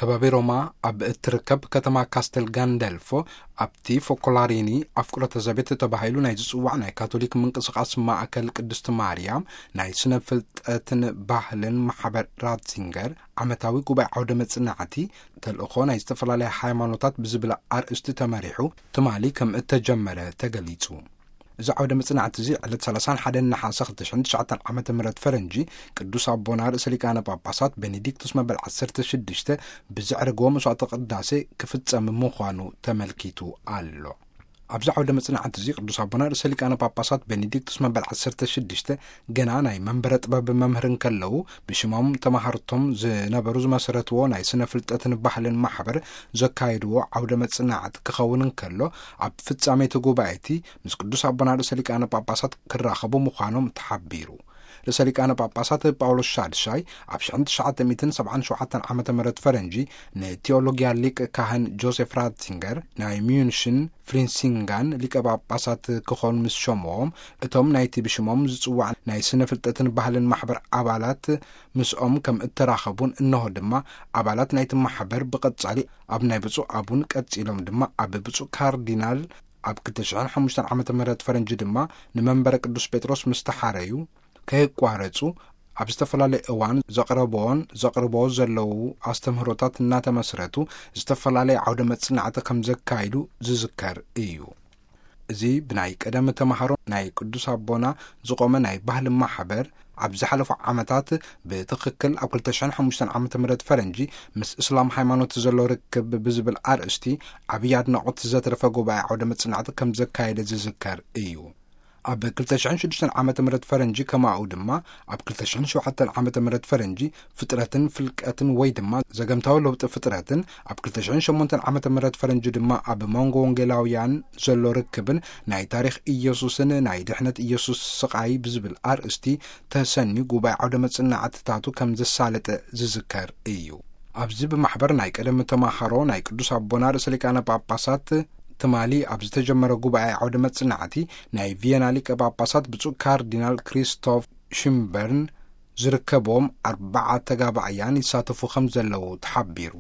ከባቢ ሮማ ኣብ እትርከብ ከተማ ካስተል ጋንደልፎ፣ ኣብቲ ፎኮላሪኒ ኣፍቅሮተ ዘቤት ተባሂሉ ናይ ዝጽዋዕ ናይ ካቶሊክ ምንቅስቓስ ማእከል ቅድስቲ ማርያም ናይ ስነ ፍልጠትን ባህልን ማሕበር ራትዚንገር ዓመታዊ ጉባኤ ዓውደ መጽናዕቲ፣ ተልእኾ ናይ ዝተፈላለያ ሃይማኖታት ብዝብል ኣርእስቲ ተመሪሑ ትማሊ ከም እተጀመረ ተገሊጹ። እዚ ዓውደ መጽናዕቲ እዚ ዕለት ሰላሳን ሓደን ነሓሰ ክልተ ሽሕን ትሽዓተን ዓመተ ምህረት ፈረንጂ፣ ቅዱስ ኣቦና ርእሰ ሊቃነ ጳጳሳት ቤኔዲክቱስ መበል ዓሰርተ ሽዱሽተ ብዘዕረግዎ መስዋዕተ ቅዳሴ ክፍጸም ምዃኑ ተመልኪቱ ኣሎ። ኣብዚ ዓውደ መጽናዕቲ እዚ ቅዱስ ኣቦና ርእሰ ሊቃነ ጳጳሳት ቤኔዲክቱስ መበል ዓሰርተ ሽዱሽተ ገና ናይ መንበረ ጥበብ መምህር እንከለዉ፣ ብሽሞም ተማሃርቶም ዝነበሩ ዝመሰረትዎ ናይ ስነ ፍልጠትን ባህልን ማሕበር ዘካየድዎ ዓውደ መጽናዕቲ ክኸውን እንከሎ፣ ኣብ ፍጻሜ እቲ ጉባኤ እቲ ምስ ቅዱስ ኣቦና ርእሰ ሊቃነ ጳጳሳት ክራኸቡ ምዃኖም ተሓቢሩ። ርእሰ ሊቃነ ጳጳሳት ጳውሎስ ሻድሻይ ኣብ ሽሕን ትሽዓተ ሚእትን ሰብዓን ሸውዓተን ዓመተ ምህረት ፈረንጂ ንቴዎሎጊያ ሊቅ ካህን ጆሴፍ ራትዚንገር ናይ ሚዩንሽን ፍሪንሲንጋን ሊቀ ጳጳሳት ክኾኑ ምስ ሸምዎም፣ እቶም ናይቲ ብሽሞም ዝጽዋዕ ናይ ስነ ፍልጠትን ባህልን ማሕበር ኣባላት ምስኦም ከም እተራኸቡን፣ እንሆ ድማ ኣባላት ናይቲ ማሕበር ብቐጻሊ ኣብ ናይ ብፁዕ ኣቡን፣ ቀጺሎም ድማ ኣብ ብፁዕ ካርዲናል ኣብ ክልተ ሽሕን ሓሙሽተን ዓመተ ምህረት ፈረንጂ ድማ ንመንበረ ቅዱስ ጴጥሮስ ምስ ተሓረዩ፣ ከየቋረጹ ኣብ ዝተፈላለየ እዋን ዘቕረብዎን ዘቕርብዎ ዘለዉ ኣስተምህሮታት እናተመስረቱ ዝተፈላለየ ዓውደ መጽናዕቲ ከም ዘካይዱ ዝዝከር እዩ። እዚ ብናይ ቀደም ተማሃሮ ናይ ቅዱስ ኣቦና ዝቖመ ናይ ባህሊ ማሕበር፣ ኣብ ዝሓለፉ ዓመታት ብትኽክል ኣብ ክልተ ሽሕን ሓሙሽተን ዓመተ ምህረት ፈረንጂ ምስ እስላም ሃይማኖት ዘሎ ርክብ ብዝብል ኣርእስቲ ዓብዪ ኣድናቖት ዘትረፈ ጉባኤ ዓውደ መጽናዕቲ ከም ዘካየደ ዝዝከር እዩ። ኣብ ክልተ ሽሕን ሽዱሽተን ዓመተ ምህረት ፈረንጂ ከማኡ ድማ ኣብ ክልተ ሽሕን ሸውዓተን ዓመተ ምህረት ፈረንጂ ፍጥረትን ፍልቀትን ወይ ድማ ዘገምታዊ ለውጢ ፍጥረትን፣ ኣብ ክልተ ሽሕን ሸሞንተን ዓመተ ምህረት ፈረንጂ ድማ ኣብ መንጎ ወንጌላውያን ዘሎ ርክብን ናይ ታሪኽ ኢየሱስን ናይ ድሕነት ኢየሱስ ስቓይ ብዝብል ኣርእስቲ ተሰንዩ ጉባኤ ዓውደ መጽናዕትታቱ ከም ዘሳለጠ ዝዝከር እዩ። ኣብዚ ብማሕበር ናይ ቀደም ተማሃሮ ናይ ቅዱስ ኣቦና ርእሰ ሊቃነ ጳጳሳት ትማሊ ኣብ ዝተጀመረ ጉባኤ ዓውደ መጽናዕቲ ናይ ቪየና ሊቀ ጳጳሳት ብፁዕ ካርዲናል ክሪስቶፍ ሽምበርን ዝርከብዎም ኣርባዓ ተጋባእያን ይሳተፉ ከም ዘለዉ ተሓቢሩ።